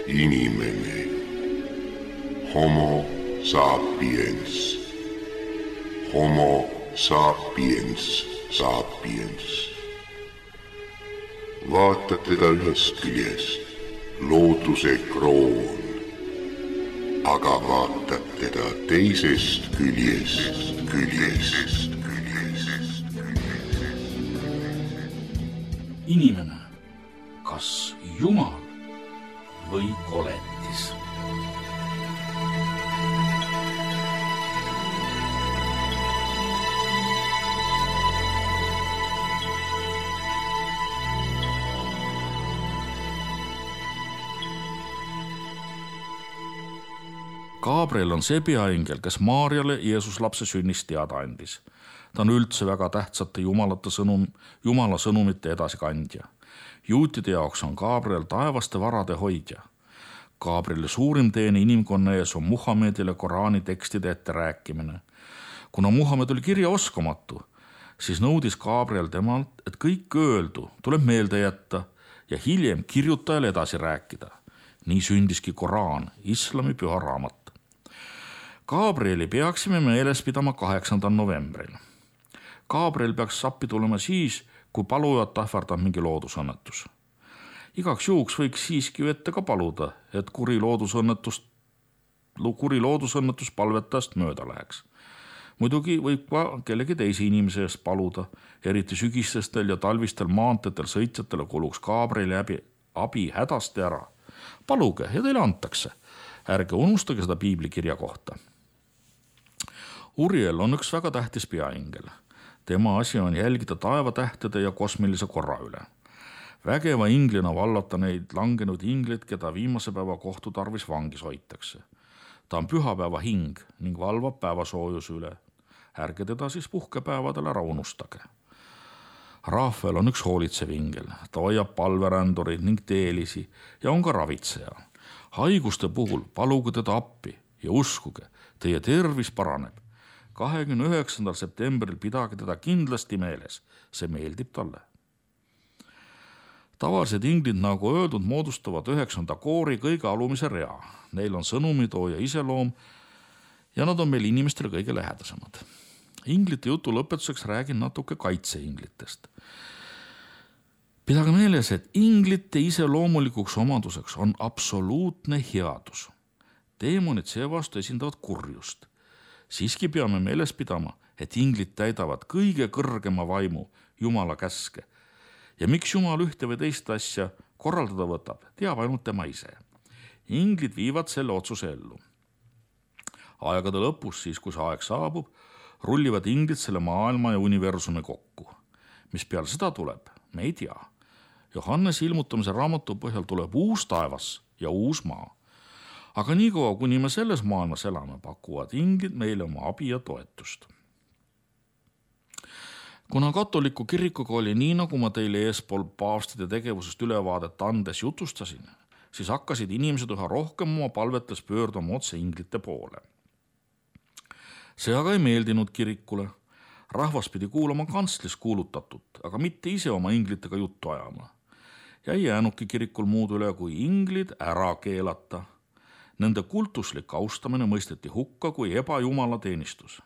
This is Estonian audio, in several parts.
inimene, homo sapiens, homo sapiens sapiens. Vaatad teda ühest küljest, looduse kroon, aga vaatad teda teisest küljest. Inimene, kas Jumal või koletis? Gabriel on see peaingel, kes Maarjale Jeesuslapse sünnist teada andis. Ta on üldse väga tähtsate Jumala sõnumite edasikandja. Juutide jaoks on Gabriel taevaste varade hoidja. Gabrieli suurim teene inimkonna ees on Muhamedile Koraani tekstide ette rääkimine. Kuna Muhamed oli kirjaoskamatu, siis nõudis Gabriel temalt, et kõik öeldu tuleb meelde jätta ja hiljem kirjutajale edasi rääkida. Nii sündiski Koraan, islami püha raamat. Gabrieli peaksime meeles pidama 8. novembril. Gabriel peaks appi tulema siis, kui palujat ähvardab mingi loodusõnnetus. Igaks juhuks võiks siiski ette ka paluda, et kuri loodusõnnetus palvetajast mööda läheks. Muidugi võib ka kellegi teise inimese eest paluda, eriti sügisestel ja talvistel maanteetel sõitjatele kuluks Gabrieli abi hädasti ära. Paluge ja teile antakse. Ärge unustage seda piiblikirja kohta. Uriel on üks väga tähtis peaingel. Tema asi on jälgida taevatähtede ja kosmilise korra üle. Vägeva inglina vallata neid langenud ingleid, keda viimase päeva kohtu tarvis vangis hoitakse. Ta on pühapäeva hing ning valvab päevasoojuse üle. Ärge teda siis puhkepäevadel ära unustage. Rafael on üks hoolitsev ingel. Ta hoiab palverändurid ning teelisi ja on ka ravitseja. Haiguste puhul paluge teda appi ja uskuge, teie tervis paraneb. 29. septembril pidage teda kindlasti meeles, see meeldib talle. Tavalised inglid, nagu öeldud, moodustavad 9. koori kõige alumise rea. Neil on sõnumitooja iseloom ja nad on meil inimestele kõige lähedasemad. Inglite jutu lõpetuseks räägin natuke kaitseinglitest. Pidage meeles, et inglite iseloomulikuks omaduseks on absoluutne headus. Deemonid seevastu esindavad kurjust. Siiski peame meeles pidama, et inglid täidavad kõige kõrgema vaimu, Jumala käske. Ja miks Jumal ühte või teist asja korraldada võtab, teab ainult tema ise. Inglid viivad selle otsuse ellu. Aegade lõpus, siis kui see aeg saabub, rullivad inglid selle maailma ja universumi kokku. Mis peale seda tuleb, me ei tea. Johannese ilmutamise raamatu põhjal tuleb uus taevas ja uus maa. Aga niikaua, kuni me selles maailmas elame, pakuvad inglid meile oma abi ja toetust. Kuna katoliku kirikuga oli nii, nagu ma teile eespool paavstide tegevusest ülevaadet andes jutustasin, siis hakkasid inimesed üha rohkem oma palvetes pöörduma otse inglite poole. See aga ei meeldinud kirikule. Rahvas pidi kuulama kantslis kuulutatut, aga mitte ise oma inglitega juttu ajama. Ja ei jäänudki kirikul muud üle, kui inglid ära keelata. Nende kultuslik austamine mõisteti hukka kui ebajumala teenistus.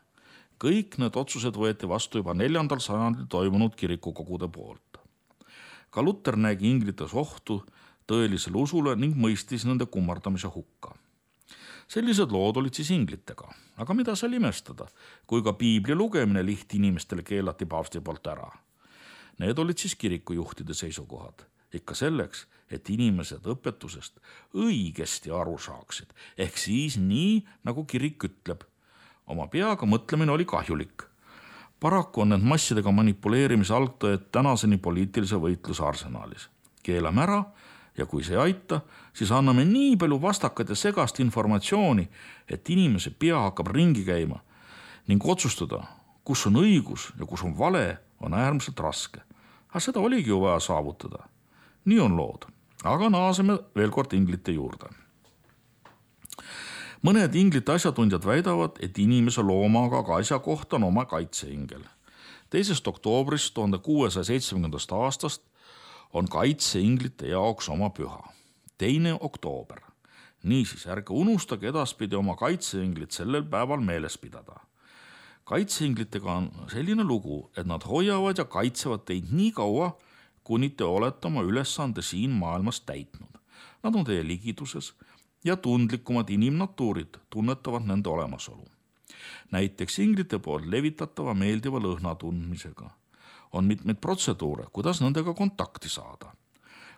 Kõik need otsused võeti vastu juba 4. sajandil toimunud kirikukogude poolt. Ka Luter nägi inglites ohtu tõelisele usule ning mõistis nende kummardamise hukka. Sellised lood olid siis inglitega, aga mida seal imestada, kui ka piibli lugemine lihtinimestele keelati paavsti poolt ära. Need olid siis kirikujuhtide seisukohad, ikka selleks, et inimesed õpetusest õigesti aru saaksid, ehk siis nii, nagu kirik ütleb. Oma peaga mõtlemine oli kahjulik. Paraku on need massidega manipuleerimise algtõed tänaseni poliitilise võitluse arsenaalis. Keelame ära ja kui see ei aita, siis anname nii palju vastakat ja segast informatsiooni, et inimese pea hakkab ringi käima ning otsustada, kus on õigus ja kus on vale, on äärmiselt raske. Aga seda oligi ju vaja saavutada. Nii on lood. Aga naaseme veel kord inglite juurde. Mõned inglite asjatundjad väidavad, et inimese loomaga ka asja kohta on oma kaitseingel. 2. oktoobrist 1670. aastast on kaitseinglite jaoks oma püha. 2. oktoober. Niisiis, ärge unustage edaspidi oma kaitseinglit sellel päeval meeles pidada. Kaitseinglitega on selline lugu, et nad hoiavad ja kaitsevad teid nii kaua, kuni te olete oma ülesande siin maailmas täitnud. Nad on teie ligiduses ja tundlikumad inimnatuurid tunnetavad nende olemasolu. Näiteks inglite poolt levitatava meeldiva lõhna tundmisega on mitmeid protseduure, kuidas nendega kontakti saada.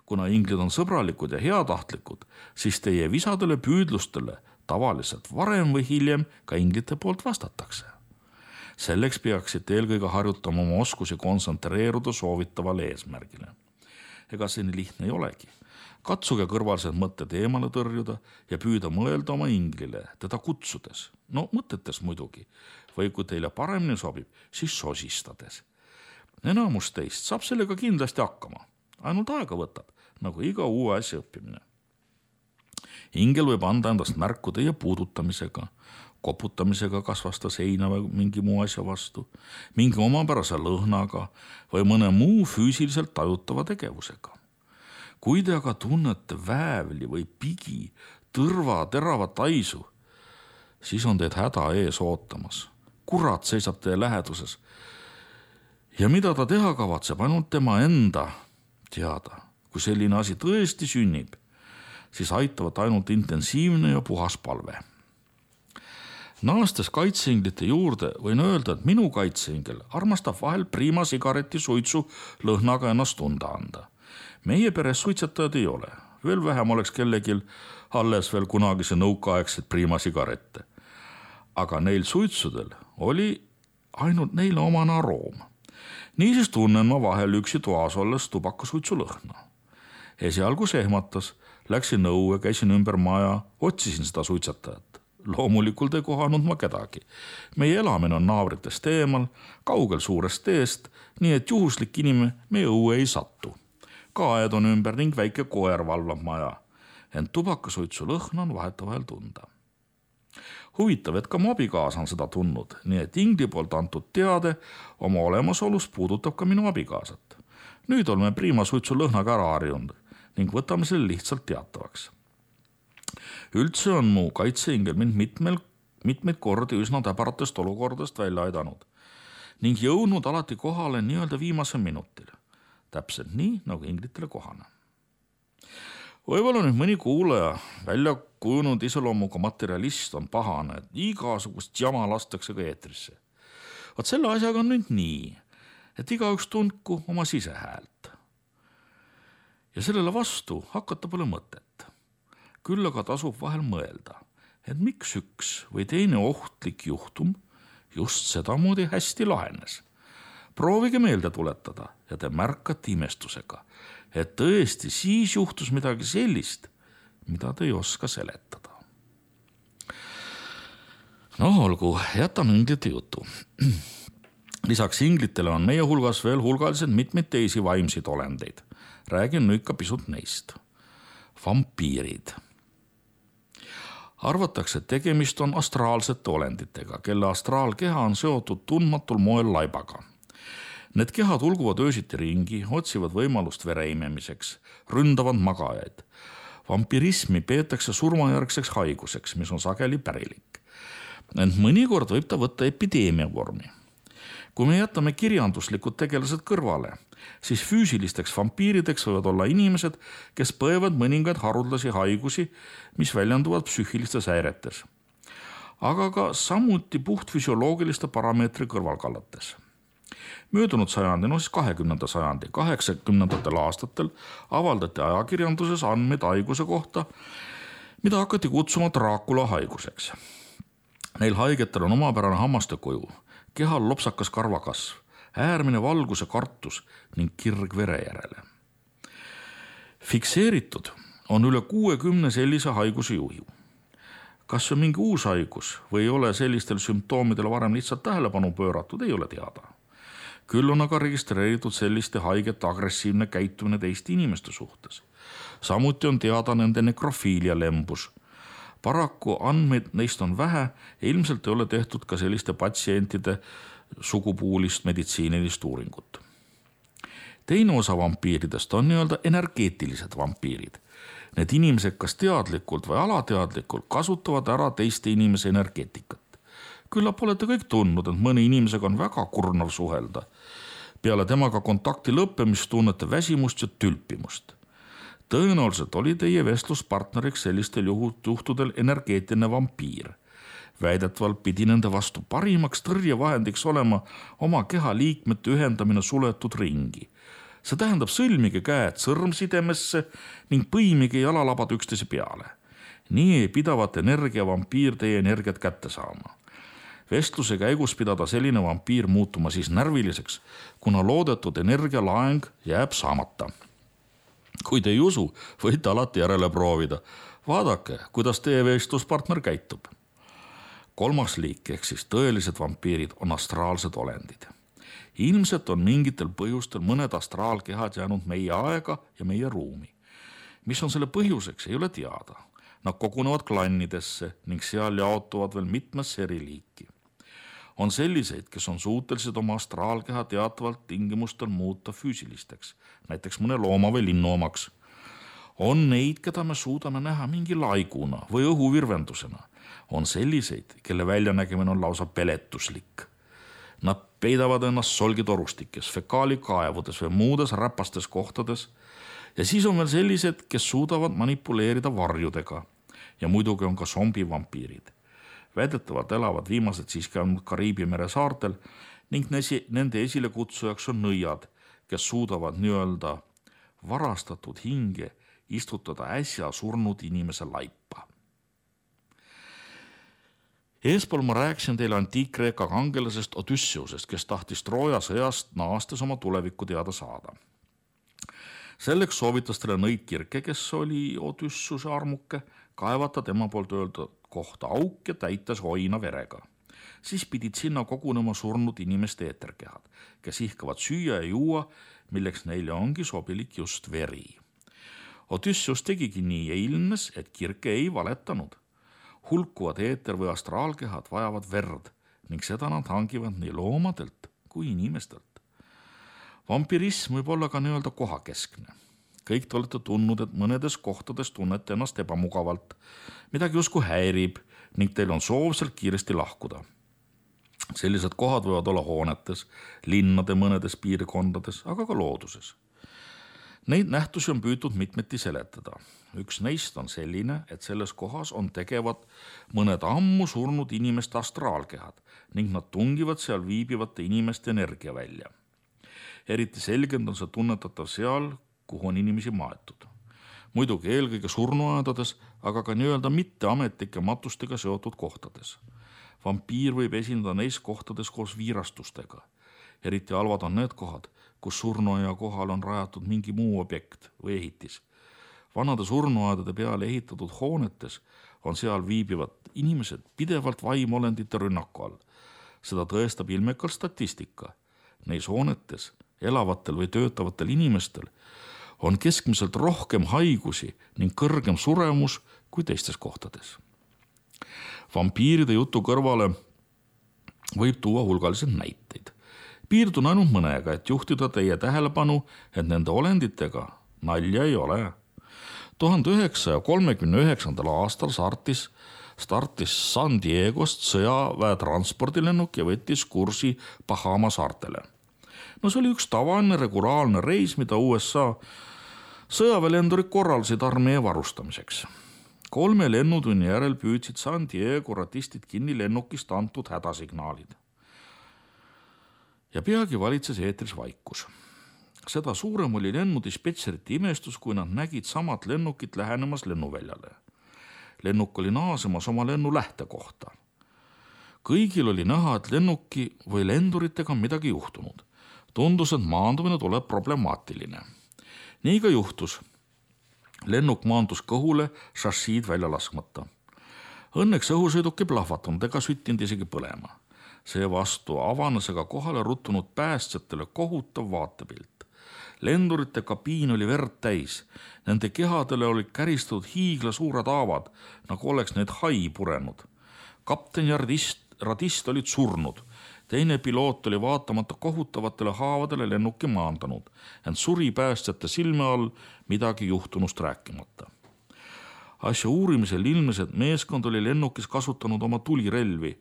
Kuna inglid on sõbralikud ja heatahtlikud, siis teie visadele püüdlustele tavaliselt varem või hiljem ka inglite poolt vastatakse. Selleks peaksite eelkõige harjutama oma oskusi kontsentreeruda soovitavale eesmärgile. Ega see nii lihtne ei olegi. Katsuge kõrvalised mõtted eemale tõrjuda ja püüda mõelda oma inglile, teda kutsudes. No mõtetes muidugi, või kui teile paremini sobib, siis sosistades. Enamus teist saab sellega kindlasti hakkama. Ainult aega võtab, nagu iga uue asja õppimine. Ingel võib anda endast märku teie puudutamisega, koputamisega kas vasta seina või mingi muu asja vastu, mingi omapärase lõhnaga või mõne muu füüsiliselt tajutava tegevusega. Kui te aga tunnete väävli või pigi, tõrva, terava taisu, siis on teid häda ees ootamas. Kurat seisab teie läheduses. Ja mida ta teha kavatseb, ainult tema enda teada. Kui selline asi tõesti sünnib, siis aitavad ainult intensiivne ja puhas palve. Naastes kaitseinglite juurde võin öelda, et minu kaitseingel armastab vahel Prima sigareti suitsu lõhnaga ennast tunda anda. Meie peres suitsetajad ei ole. Veel vähem oleks kellegil alles veel kunagise nõukaaegset Prima sigarette. Aga neil suitsudel oli ainult neile omane aroom. Niisiis tunnen ma vahel üksi toas olles tubakasuitsu lõhna. Esialgu sehmatas, läksin nõue, käisin ümber maja, otsisin seda suitsetajat. Loomulikult ei kohanud ma kedagi. Meie elamine on naabritest eemal, kaugel suurest teest, nii et juhuslik inimene meie õue ei sattu. Kaed on ümber ning väike koer valvab maja. Ent tubakasuitsu lõhna on vahetavahel tunda. Huvitav, et ka mu abikaasa on seda tundnud, nii et ingli poolt antud teade oma olemasolust puudutab ka minu abikaasat. Nüüd oleme Prima suitsu lõhnaga ära harjunud ning võtame selle lihtsalt teatavaks. Üldse on mu kaitseingel mind mitmeid kordi üsna täbaratest olukordast välja aidanud ning jõudnud alati kohale nii-öelda viimasel minutil. Täpselt nii, nagu inglitele kohane. Võib-olla nüüd mõni kuulaja välja kujunud iseloomuga materialist on pahane, et igasugust jama lastakse ka eetrisse. Vaat selle asjaga on nüüd nii, et igaüks tundku oma sisehäält. Ja sellele vastu hakata pole mõtet. Küll aga tasub vahel mõelda, et miks üks või teine ohtlik juhtum just sedamoodi hästi lahenes. Proovige meelde tuletada ja te märkate imestusega, et tõesti siis juhtus midagi sellist, mida te ei oska seletada. No olgu, jätame inglite jutu. Lisaks inglitele on meie hulgas veel hulgaliselt mitmeid teisi vaimseid olendeid. Räägin nüüd ka pisut neist. Vampiirid. Arvatakse, et tegemist on astraalsete olenditega, kelle astraalkeha on seotud tundmatul moel laibaga. Need kehad ulguvad öösiti ringi, otsivad võimalust vere imemiseks, ründavad magajaid. Vampirismi peetakse surmajärgseks haiguseks, mis on sageli pärilik. Ent mõnikord võib ta võtta epideemia vormi. Kui me jätame kirjanduslikud tegelased kõrvale, siis füüsilisteks vampiirideks võivad olla inimesed, kes põevad mõningaid haruldasi haigusi, mis väljenduvad psüühilistes häiretes. Aga ka samuti puhtfüsioloogiliste parameetri kõrvalkallates. Möödunud sajandi, 20. sajandi, 80. aastatel avaldati ajakirjanduses andmeid haiguse kohta, mida hakati kutsuma Dracula haiguseks. Neil haigetel on omapärane hammaste kuju, kehal lopsakas karvakasv, äärmine valguse kartus ning kirg vere järele. Fikseeritud on üle 60 sellise haiguse juhi. Kas on mingi uus haigus või ei ole sellistel sümptoomidele varem lihtsalt tähelepanu pööratud, ei ole teada. Küll on aga registreeritud selliste haigete agressiivne käitumine teiste inimeste suhtes. Samuti on teada nende nekrofiilia lembus. Paraku andmeid neist on vähe ja ilmselt ei ole tehtud ka selliste patsientide sugupuulist meditsiinilist uuringut. Teine osa vampiiridest on nii-öelda energeetilised vampiirid. Need inimesed kas teadlikult või alateadlikult kasutavad ära teiste inimese energeetikat. Küllap olete kõik tundnud, et mõne inimesega on väga kurnav suhelda. Peale temaga kontakti lõppemist tunnete väsimust ja tülpimust. Tõenäoliselt oli teie vestluspartneriks sellistel juhtudel energeetiline vampiir. Väidetavalt pidi nende vastu parimaks tõrjevahendiks olema oma keha liikmete ühendamine suletud ringi. See tähendab sõlmige käed sõrmsidemesse ning põimige jalalabad üksteise peale. Nii ei pidavat energiavampiir teie energiat kätte saama. Vestluse käigus pidada selline vampiir muutuma siis närviliseks, kuna loodetud energialaeng jääb saamata. Kui te ei usu, võite alati järele proovida. Vaadake, kuidas teie vestluspartner käitub. 3. liik ehk siis tõelised vampiirid on astraalsed olendid. Ilmselt on mingitel põhjustel mõned astraalkehad jäänud meie aega ja meie ruumi. Mis on selle põhjuseks, ei ole teada. Nad kogunevad klannidesse ning seal jaotuvad veel mitmesse eri liiki. On selliseid, kes on suutelised oma astraalkeha teatavalt tingimustel muuta füüsilisteks, näiteks mõne looma või linnu omaks. On neid, keda me suudame näha mingi laiguna või õhuvirvendusena. On selliseid, kelle väljanägemine on lausa peletuslik. Nad peidavad ennast solgitorustikes, fekaalikaevudes või muudes räpastes kohtades. Ja siis on veel sellised, kes suudavad manipuleerida varjudega. Ja muidugi on ka zombivampiirid. Väidetavalt elavad viimased siiski ainult Kariibi mere saartel ning nende esilekutsujaks on nõiad, kes suudavad nii-öelda varastatud hinge istutada äsja surnud inimese laipa. Eespool ma rääkisin teile antiik-Kreeka kangelasest Odysseusest, kes tahtis Trooja sõjast naastes oma tulevikku teada saada. Selleks soovitas talle nõid Kirke, kes oli Odysseuse armuke, kaevata tema poolt öeldud kohta auk ja täitas hoina verega. Siis pidid sinna kogunema surnud inimeste eeterkehad, kes ihkavad süüa ja juua, milleks neile ongi sobilik just veri. Odysseus tegigi nii ja ilmnes, et Kirke ei valetanud. Hulkuvad eeter või astraalkehad vajavad verd ning seda nad hangivad nii loomadelt kui inimestelt. Vampirism võib olla ka nii-öelda kohakeskne. Kõik te olete tundnud, et mõnedes kohtades tunnete ennast ebamugavalt, midagi justkui häirib ning teil on soov sealt kiiresti lahkuda. Sellised kohad võivad olla hoonetes, linnade mõnedes piirkondades, aga ka looduses. Neid nähtusi on püütud mitmeti seletada. Üks neist on selline, et selles kohas on tegevad mõned ammu surnud inimeste astraalkehad ning nad tungivad seal viibivate inimeste energia välja. Eriti selgend on see tunnetatav seal, kuhu on inimesi maetud. Muidugi eelkõige surnuaedades, aga ka nii-öelda mitteametlike matustega seotud kohtades. Vampiir võib esindada neis kohtades koos viirastustega. Eriti halvad on need kohad, kus surnuaia kohal on rajatud mingi muu objekt või ehitis. Vanade surnuaedade peale ehitatud hoonetes on seal viibivad inimesed pidevalt vaimolendite rünnaku all. Seda tõestab ilmekalt statistika. Neis hoonetes elavatel või töötavatel inimestel on keskmiselt rohkem haigusi ning kõrgem suremus kui teistes kohtades. Vampiiride jutu kõrvale võib tuua hulgaliselt näiteid. Piirdun ainult mõnega, et juhtida teie tähelepanu, et nende olenditega nalja ei ole. 1939. aastal startis San Diegost sõjaväe transpordilennuk ja võttis kursi Bahama saartele. No see oli üks tavaline regulaarne reis, mida USA sõjaväelendurid korraldasid armee varustamiseks. 3 lennutunni järel püüdsid San Diego ratistid kinni lennukist antud hädasignaalid. Ja peagi valitses eetris vaikus. Seda suurem oli lennudispetšerite imestus, kui nad nägid samat lennukit lähenemas lennuväljale. Lennuk oli naasemas oma lennu lähtekohta. Kõigil oli näha, et lennuki või lenduritega on midagi juhtunud. Tundus, et maandumine tuleb problemaatiline. Nii ka juhtus. Lennuk maandus kõhule, šassiid välja laskmata. Õnneks õhusõiduk ei plahvatanud ega süttinud isegi põlema. Seevastu avanes aga kohale ruttunud päästjatele kohutav vaatepilt. Lendurite kabiin oli verd täis. Nende kehadele olid käristatud hiigla suured haavad, nagu oleks need hai purenud. Kapten ja radist olid surnud. Teine piloot oli vaatamata kohutavatele haavadele lennuki maandanud, ent suri päästjate silme all midagi juhtunust rääkimata. Asja uurimisel ilmnes, et meeskond oli lennukis kasutanud oma tulirelvi.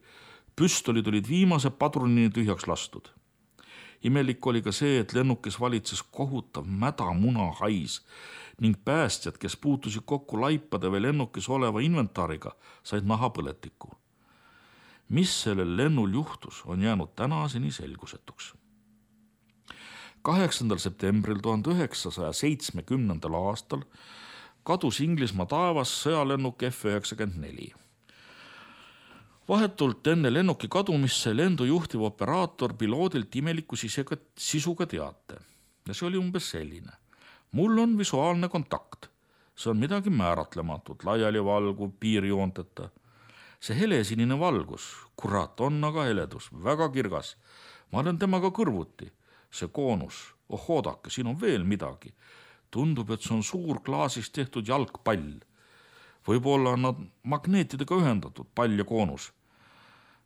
Püstolid olid viimase padrunini tühjaks lastud. Imelik oli ka see, et lennukis valitses kohutav mädamuna hais ning päästjad, kes puutusid kokku laipade või lennukis oleva inventaariga, said nahapõletikku. Mis sellel lennul juhtus, on jäänud tänaseni selgusetuks. 8. septembril 1970. aastal kadus Inglismaa taevas sõjalennuk F-94. Vahetult enne lennuki kadumist sai lendu juhtiv operaator piloodilt imeliku sisuga teate. Ja see oli umbes selline. Mul on visuaalne kontakt. See on midagi määratlematut, laiali valguv, piirjoonteta. See helesinine valgus, kurat, on aga heledus, väga kirgas. Ma olen temaga kõrvuti. See koonus, oodake, siin on veel midagi. Tundub, et see on suur klaasist tehtud jalgpall. Võib-olla on nad magneetidega ühendatud, pall ja koonus.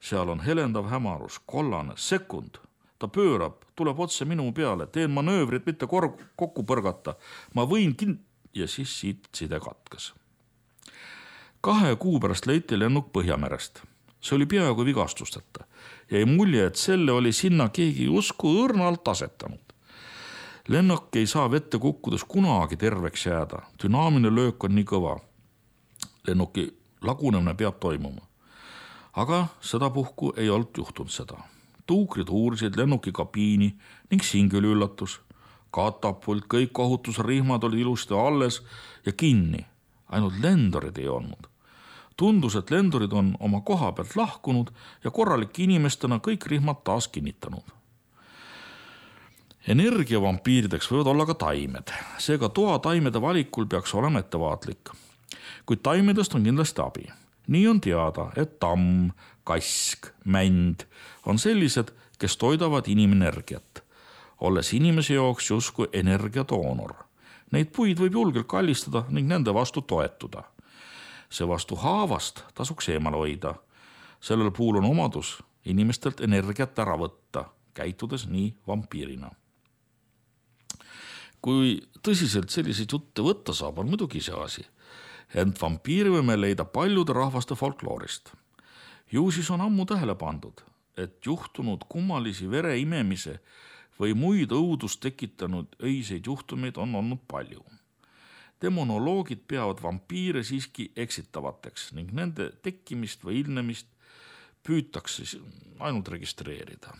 Seal on helendav hämarus, kollane, sekund. Ta pöörab, tuleb otse minu peale, teen manöövrit mitte kokku põrgata. Ma võin ja siis siit side katkes. 2 kuu pärast leiti lennuk Põhjamerest. See oli peaaegu vigastusteta. Jäi mulje, et selle oli sinna keegi usku õrnalt asetanud. Lennuk ei saa vette kukkudes kunagi terveks jääda. Dünaamiline löök on nii kõva. Lennuki lagunemine peab toimuma. Aga sedapuhku ei olnud juhtunud seda. Tuukrid uurisid lennuki kabiini ning singül üllatus. Katapult, kõik ohutusrihmad olid ilusti alles ja kinni. Ainult lendorid ei olnud. Tundus, et lendorid on oma koha pealt lahkunud ja korralike inimestena kõik rihmad taas kinnitanud. Energiavampiirideks võivad olla ka taimed. Seega toa taimede valikul peaks olema ettevaatlik. Kuid taimedest on kindlasti abi. Nii on teada, et tamm, kask, mänd on sellised, kes toidavad inimenergiat, olles inimese jaoks justkui energiatoonor. Neid puid võib julgelt kallistada ning nende vastu toetuda. See vastu haavast tasuks eemale hoida. Sellel puhul on omadus inimestelt energiat ära võtta, käitudes nii vampiirina. Kui tõsiselt selliseid jutte võtta saab, on muidugi see asi. Ent vampiiri võime leida paljude rahvaste folkloorist. Ju siis on ammu tähele pandud, et juhtunud kummalisi vere imemise või muid õudust tekitanud öiseid juhtumeid on olnud palju. Demonoloogid peavad vampiire siiski eksitavateks ning nende tekkimist või ilmnemist püütakse ainult registreerida.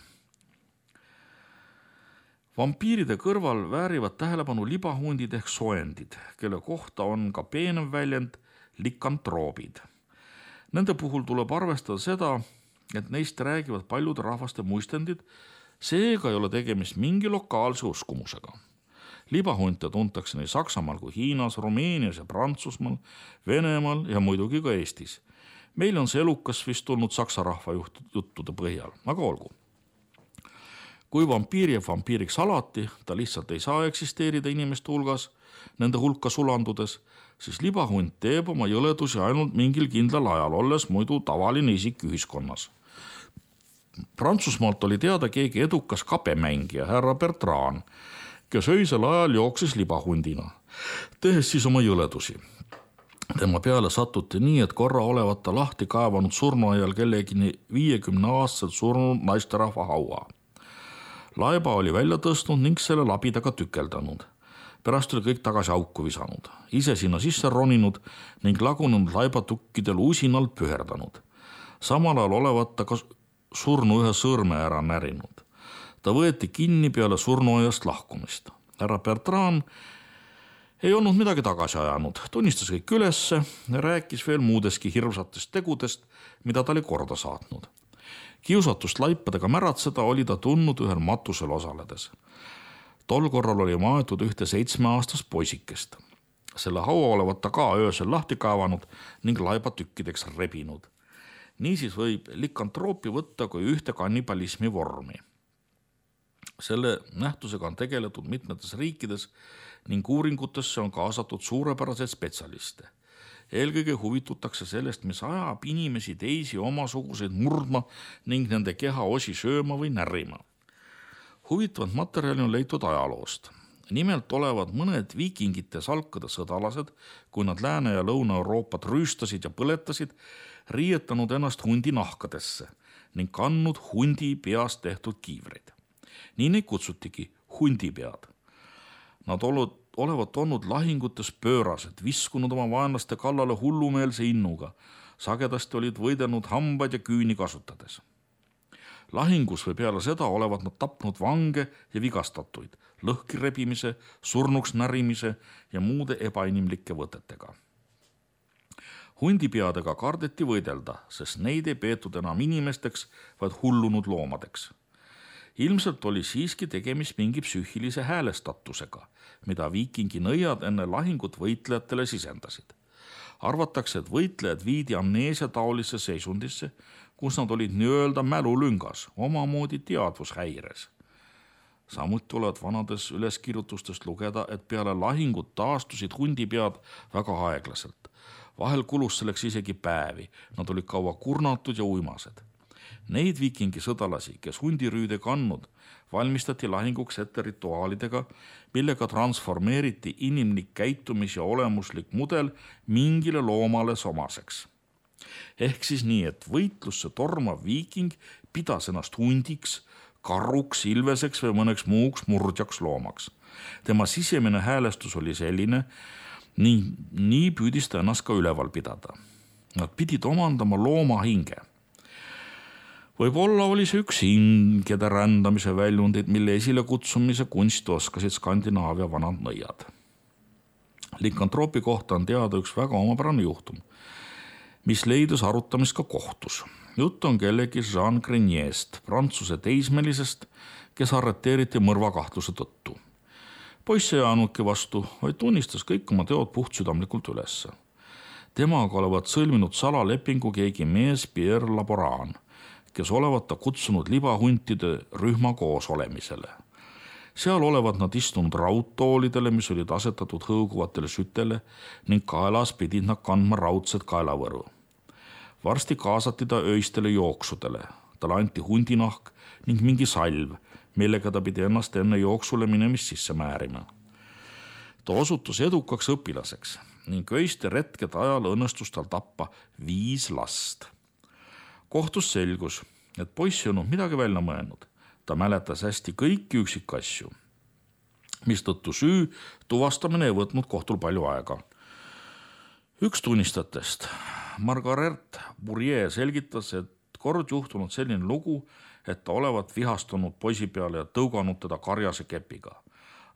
Vampiiride kõrval väärivad tähelepanu libahundid ehk soendid, kelle kohta on ka peenem väljend likantroobid. Nende puhul tuleb arvestada seda, et neist räägivad paljude rahvaste muistendid, seega ei ole tegemist mingi lokaalse uskumusega. Libahunte tuntakse nii Saksamaal kui Hiinas, Rumeenias ja Prantsusmaal, Venemaal ja muidugi ka Eestis. Meil on see elukas vist tulnud saksa rahva juttude põhjal, aga olgu. Kui vampiir jääb vampiiriks alati, ta lihtsalt ei saa eksisteerida inimeste hulgas, nende hulka sulandudes, siis libahunt teeb oma jõledusi ainult mingil kindlal ajal, olles muidu tavaline isik ühiskonnas. Prantsusmaalt oli teada keegi edukas kapemängija, härra Bertrand, kes öisel ajal jooksis libahundina, tehes siis oma jõledusi. Tema peale sattuti nii, et korra olevat ta lahti kaevanud surnuaial kellegi 50-aastaselt surnud naisterahva haua. Laiba oli välja tõstnud ning selle labidaga tükeldanud. Pärast oli kõik tagasi auku visanud, ise sinna sisse roninud ning lagunenud laibatukkidel usinalt püherdanud. Samal ajal olevat ta ka surnu ühe sõrme ära närinud. Ta võeti kinni peale surnuaiast lahkumist. Härra Bertrand ei olnud midagi tagasi ajanud, tunnistas kõik ülesse ja rääkis veel muudeski hirmsatest tegudest, mida ta oli korda saatnud. Kiusatust laipadega märatseda oli ta tundnud ühel matusel osaledes. Tol korral oli maetud ühte 7-aastast poisikest. Selle haua olevat ta ka öösel lahti kaevanud ning laibatükkideks rebinud. Niisiis võib likantroopi võtta kui ühte kannibalismi vormi. Selle nähtusega on tegeletud mitmetes riikides ning uuringutesse on kaasatud suurepäraseid spetsialiste. Eelkõige huvitutakse sellest, mis ajab inimesi teisi omasuguseid murdma ning nende keha osi sööma või närima. Huvitavat materjali on leitud ajaloost. Nimelt olevat mõned viikingite salkade sõdalased, kui nad Lääne- ja Lõuna-Euroopat rüüstasid ja põletasid, riietanud ennast hundi nahkadesse ning kandnud hundi peast tehtud kiivreid. Nii neid kutsutigi hundipead. Nad olevat olnud lahingutes pöörased, viskunud oma vaenlaste kallale hullumeelse innuga, sagedasti olid võidelnud hambaid ja küüni kasutades. Lahingus või peale seda olevat nad tapnud vange ja vigastatuid, lõhki rebimise, surnuks närimise ja muude ebainimlike võtetega. Hundipeadega kardeti võidelda, sest neid ei peetud enam inimesteks, vaid hullunud loomadeks. Ilmselt oli siiski tegemist mingi psüühilise häälestatusega, mida viikingi nõiad enne lahingut võitlejatele sisendasid. Arvatakse, et võitlejad viidi amneesia taolisse seisundisse, kus nad olid nii-öelda mälulüngas, omamoodi teadvushäires. Samuti tuleb vanades üleskirjutustest lugeda, et peale lahingut taastusid hundipead väga aeglaselt. Vahel kulus selleks isegi päevi, nad olid kaua kurnatud ja uimased. Neid viikingi sõdalasi, kes hundirüüde kannud, valmistati lahinguks ette rituaalidega, millega transformeeriti inimlik käitumis- ja olemuslik mudel mingile loomale omaseks. Ehk siis nii, et võitlusse tormav viiking pidas ennast hundiks, karruks, ilveseks või mõneks muuks murdjaks loomaks. Tema sisemine häälestus oli selline, nii püüdis ta ennast ka üleval pidada. Nad pidid omandama looma hinge. Võib-olla oli see üks hingede rändamise väljundid, mille esile kutsumise kunsti oskasid Skandinaavia vanad nõiad. Lycanthropi kohta on teada üks väga omapärane juhtum, mis leidus arutamist ka kohtus. Jutt on kellegi Jean Greniest, prantsuse teismelisest, kes arreteeriti mõrvakahtluse tõttu. Poiss ei jaanudki vastu, vaid tunnistas kõik oma teod puhtsüdamlikult ülesse. Temaga olevat sõlminud salalepingu keegi mees Pierre Laboran, kes olevat ta kutsunud libahuntide rühma koos olemisele. Seal olevat nad istunud raudtoolidele, mis olid asetatud hõõguvatele sütele ning kaelas pidid nad kandma raudset kaelavõru. Varsti kaasati ta öistele jooksudele, talle anti hundinahk ning mingi salv, millega ta pidi ennast enne jooksule minemist sisse määrima. Ta osutus edukaks õpilaseks ning öiste retkede ajal õnnestus tal tappa 5 last. Kohtus selgus, et poiss ei olnud midagi välja mõelnud. Ta mäletas hästi kõiki üksikasju, mistõttu süü tuvastamine ei võtnud kohtul palju aega. Üks tunnistajatest, Margaret Bourrier, selgitas, et kord juhtunud selline lugu, et ta olevat vihastunud poisi peale ja tõuganud teda karjase kepiga.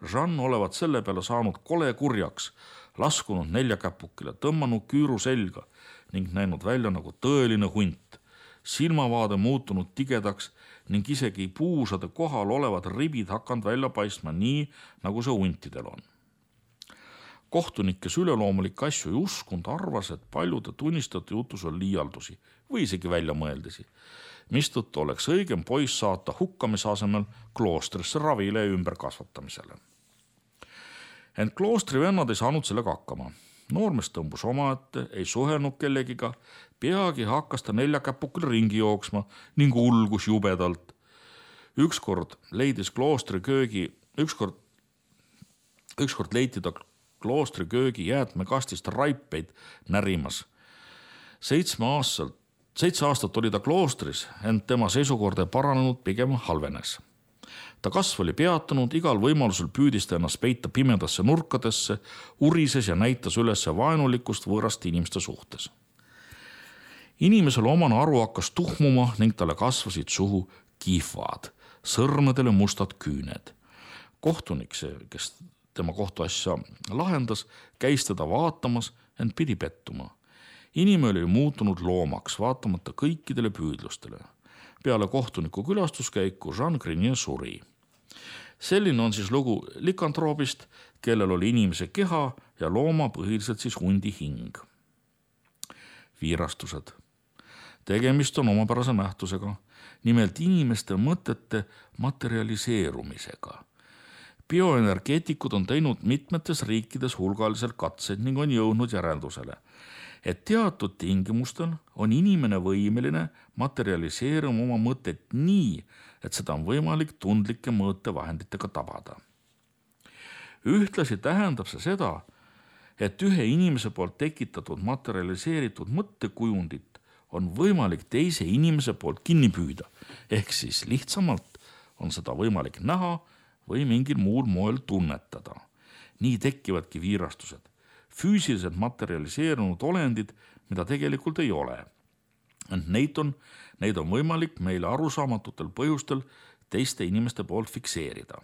Jean olevat selle peale saanud kole kurjaks, laskunud 4 käpukile, tõmmanud küüru selga ning näinud välja nagu tõeline hunt. Silmavaade muutunud tigedaks ning isegi puusade kohal olevad ribid hakanud välja paistma nii, nagu see huntidel on. Kohtunik, kes üleloomulikke asju ei uskunud, arvas, et paljude tunnistajate jutus on liialdusi või isegi väljamõeldisi, mistõttu oleks õigem poiss saata hukkamise asemel kloostrisse ravile ja ümberkasvatamisele. Ent kloostri vennad ei saanud sellega hakkama. Noormees tõmbus omaette, ei suhelnud kellegiga, peagi hakkas ta 4 käpukil ringi jooksma ning ulgus jubedalt. Ükskord leiti ta kloostri köögi jäätmekastist raipeid närimas. 7 aastat oli ta kloostris, ent tema seisukord ei paranenud, pigem halvenes. Ta kasv oli peatunud, igal võimalusel püüdis ta ennast peita pimedasse nurkadesse, urises ja näitas üles vaenulikkust võõraste inimeste suhtes. Inimesele omane aru hakkas tuhmuma ning talle kasvasid suhu kihvad, sõrmedele mustad küüned. Kohtunik, kes tema kohtuasja lahendas, käis teda vaatamas, ent pidi pettuma. Inimene oli muutunud loomaks, vaatamata kõikidele püüdlustele. Peale kohtuniku külastuskäiku Jean Grenier suri. Selline on siis lugu Lycanthropist, kellel oli inimese keha ja looma põhiliselt siis hundi hing. Viirastused. Tegemist on omapärase nähtusega, nimelt inimeste mõtete materialiseerumisega. Bioenergeetikud on teinud mitmetes riikides hulgaliselt katseid ning on jõudnud järeldusele, et teatud tingimustel on inimene võimeline materialiseeruma oma mõtet nii, et seda on võimalik tundlike mõõtevahenditega tabada. Ühtlasi tähendab see seda, et ühe inimese poolt tekitatud materialiseeritud mõttekujundit on võimalik teise inimese poolt kinni püüda, ehk siis lihtsamalt on seda võimalik näha või mingil muul moel tunnetada. Nii tekivadki viirastused, füüsiliselt materialiseerunud olendid, mida tegelikult ei ole. Neid on võimalik meile arusaamatute põhjustel teiste inimeste poolt fikseerida.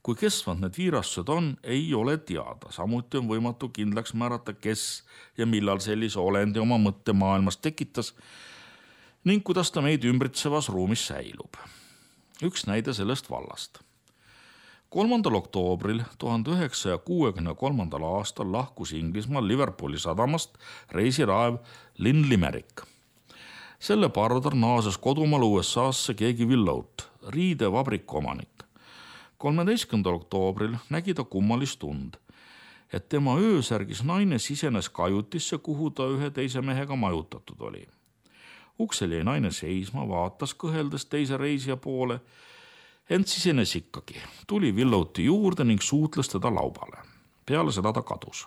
Kui kestvad need viirastused on, ei ole teada. Samuti on võimatu kindlaks määrata, kes ja millal sellise olendi oma mõttemaailmas tekitas ning kuidas ta meid ümbritsevas ruumis säilub. Üks näide sellest vallast. 3. oktoobril 1963. aastal lahkus Inglismaal Liverpooli sadamast reisiraev Lynn Limerick. Selle pardal naases kodumaal USA'sse keegi Willout, riidevabriku omanik. 13. oktoobril nägi ta kummalist tund, et tema öösärgis naine sisenes kajutisse, kuhu ta ühe teise mehega majutatud oli. Uksel jäi naine seisma, vaatas kõheldes teise reisija poole, ent sisenes ikkagi. Tuli Willouti juurde ning suutles teda laubale. Peale seda ta kadus.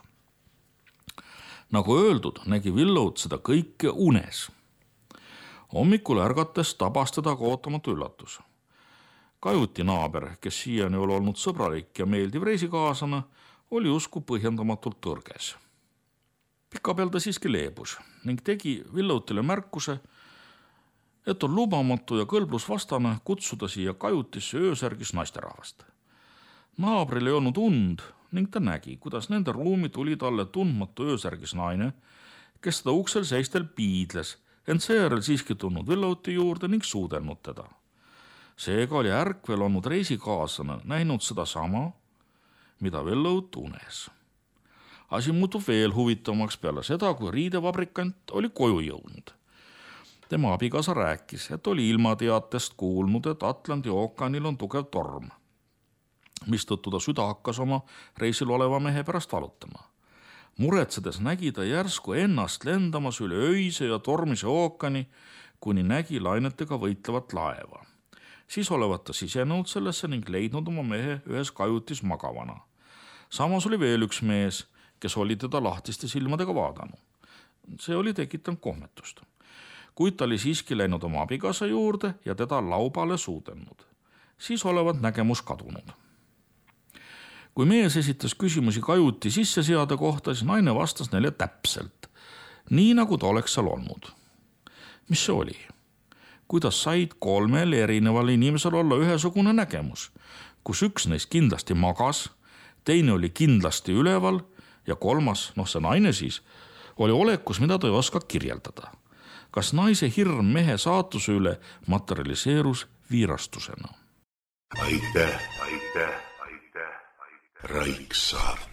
Nagu öeldud, nägi Willout seda kõike unes. Hommikul ärgates tabas teda ka ootamatu üllatus. Kajuti naaber, kes siiani oli olnud sõbralik ja meeldiv reisikaaslane, oli usku põhjendamatult tõrges. Pikapeal ta siiski leebus ning tegi Willoutile märkuse, et on lubamatu ja kõlblusvastane kutsuda siia kajutisse öösärgis naisterahvast. Naabril ei olnud und ning ta nägi, kuidas nende ruumi tuli talle tundmatu öösärgis naine, kes seda uksel seistel piidles, ent seejärel siiski tulnud Willouti juurde ning suudelnud teda. Seega oli ärkvel olnud reisikaaslane näinud seda sama, mida Willout unes. Asi muutub veel huvitavamaks peale seda, kui riidevabrikant oli koju jõudnud. Tema abikaasa rääkis, et oli ilmateatest kuulnud, et Atlandi ookeanil on tugev torm, mistõttu ta süda hakkas oma reisil oleva mehe pärast valutama. Muretsedes nägi ta järsku ennast lendamas üle öise ja tormise ookeani, kuni nägi lainetega võitlevat laeva. Siis olevat ta sisenenud sellesse ning leidnud oma mehe ühes kajutis magavana. Samas oli veel üks mees, kes oli teda lahtiste silmadega vaadanud. See oli tekitanud kohmetust. Kuid ta oli siiski läinud oma abikaasa juurde ja teda laubale suudelnud. Siis olevat nägemus kadunud. Kui mees esitas küsimusi kajuti sisseseade kohta, siis naine vastas neile täpselt, nii nagu ta oleks seal olnud. Mis see oli? Kuidas said 3 erineval inimesel olla ühesugune nägemus, kus üks neist kindlasti magas, teine oli kindlasti üleval ja 3, see naine siis, oli olekus, mida ta ei oska kirjeldada. Kas naise hirm mehe saatuse üle materialiseerus viirastusena? Aitäh, Raiksaart.